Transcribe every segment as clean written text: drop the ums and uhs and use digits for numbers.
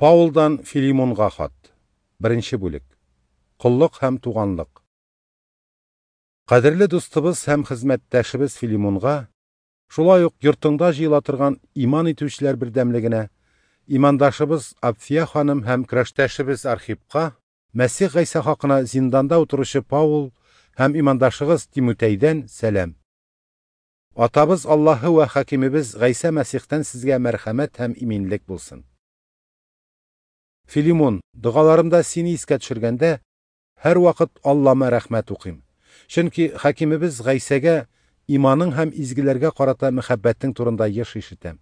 Паулдан Филимонга хат. Беренче бүлек. Коллык һәм туганлык. Кадерле дустыбыз һәм хезмәттәшебез Филимонга, шулай ук йортыңда җыела торган иман итүчеләр бердәмлегенә, имандашыбыз Апфия ханым һәм көрәштәшебез Архипка, Мәсих Гайсә хакына зинданда утыручы Паул һәм имандашыгыз Тимутәйдән сәлам. Атабыз Аллаһы вә хакимебез Гайсә Мәсихтән сезгә мәрхәмәт һәм иминлек булсын. Филимон, догаларымда сине искә төшергәндә, һәрвакыт Аллама рәхмәт укыйм. Чөнки хакимебез Гайсәгә иманың һәм изгеләргә карата мәхәббәтең турында еш ишетәм.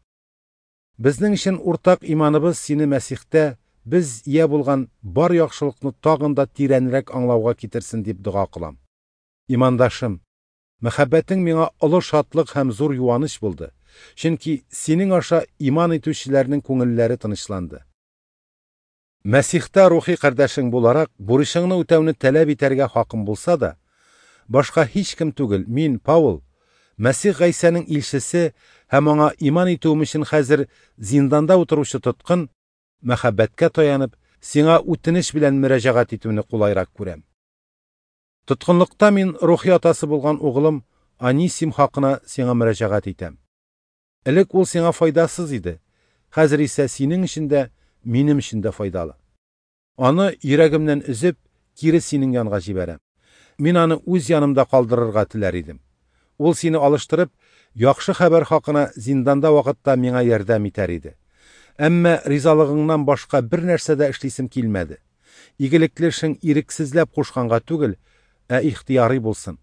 Безнең өчен уртак иманыбыз сине Мәсихтә без ия булган бар яхшылыкны тагын да тирәнрәк аңлауга китерсен дип дога кылам. Имандашым, мәхәббәтең миңа олы шатлык һәм зур юаныч булды. Чөнки синең аша иман итүчеләрнең күңелләре тынычланды. Мәсихтә рухи кардәшең буларак, бурычыңны үтәүне таләп итәргә хакым булса да, башка һич кем түгел, мин, Паул, Мәсих Гайсәнең илчесе һәм аңа иман итүем өчен хәзер зинданда утыручы тоткын, мәхәббәткә таянып, сиңа үтенеч белән мөрәҗәгать итүне кулайрак күрәм. Тоткынлыкта мин рухи атасы булган углым Анисим хакына сиңа мөрәҗәгать итәм. Элек ул сиңа файдасыз иде, хәзер исә синең өчен дә, минем өчен дә файдалы. Аны йөрәгемнән өзеп, кире синең янга җибәрәм. Мин аны үз янымда калдырырга теләр идем. Ул сине алыштырып, яхшы хәбәр хакына зинданда вакытта миңа ярдәм итәр иде. Әмма ризалыгыңнан башка бер нәрсә дә эшлисем килмәде. Игелекле эшең ирексезләп кушканга түгел, ә ихтыяри булсын.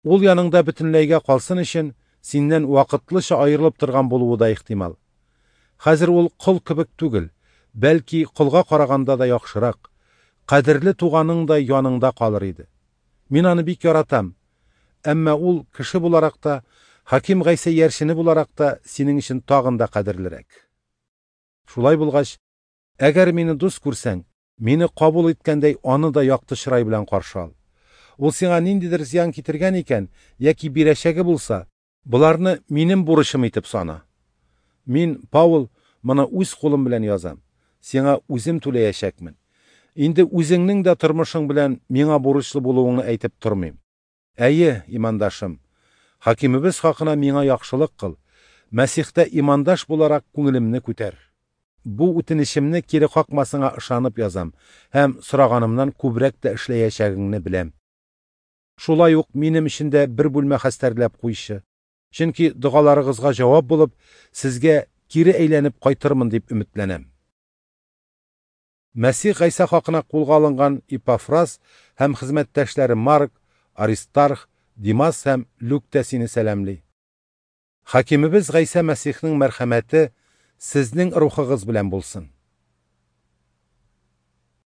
Ул яныңда бөтенләйгә калсын өчен синнән вакытлыча аерылып торган булуы да ихтимал. Хәзер ул кол кебек түгел, бәлки колга караганда да яхшырак, кадерле туганың да яныңда калыр иде. Мин аны бик яратам. Әмма ул кеше буларак та, хаким Гайсә ярчыны буларак та синең өчен тагын да кадерлерәк. Шулай булгач, әгәр мине дус күрсәң, мине кабул иткәндәй аны да якты чырай белән каршы ал. Ул сиңа ниндидер зыян китергән икән, яки бирәчәге булса, боларны минем бурычым итеп сана. Мин, Паул, моны үз кулым белән язам. Сиңа үзем түләячәкмен. Инде үзеңнең дә тормышың белән миңа бурычлы булуыңны әйтеп тормыйм. Әйе, имандашым, хакимебез хакына миңа яхшылык кыл. Мәсихтә имандаш буларак күңелемне күтәр. Бу үтенечемне кире какмасыңа ышанып язам һәм сораганымнан күбрәк тә эшләячәгеңне беләм. Шулай ук минем өчен дә бер бүлмә хәстәрләп куйчы. Чөнки догаларыгызга җавап булып, сезгә кире әйләнеп кайтырмын дип өметләнәм. Мәсих Гайсә хакына кулга алынган Ипафрас һәм хезмәттәшләре Марк, Аристарх, Димас һәм Люк тә сине сәламли. Хакимебез Гайсә Мәсихнең мәрхәмәте сезнең рухыгыз белән булсын.